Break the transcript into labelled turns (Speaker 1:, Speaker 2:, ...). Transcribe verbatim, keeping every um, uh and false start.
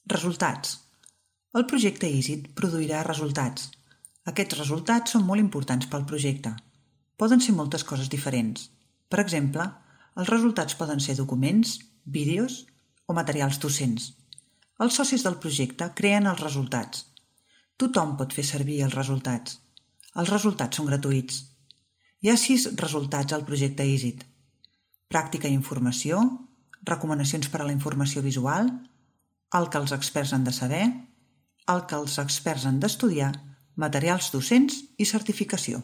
Speaker 1: Resultats. El projecte EASIT produirà resultats. Aquests resultats són molt importants pel projecte. Poden ser moltes coses diferents. Per exemple, els resultats poden ser documents, vídeos o materials docents. Els socis del projecte creen els resultats. Tothom pot fer servir els resultats. Els resultats són gratuïts. Hi ha sis resultats al projecte EASIT. Pràctica i informació, recomanacions per a la informació visual, el que els experts han de saber, el que els experts han d'estudiar, materials docents i certificació.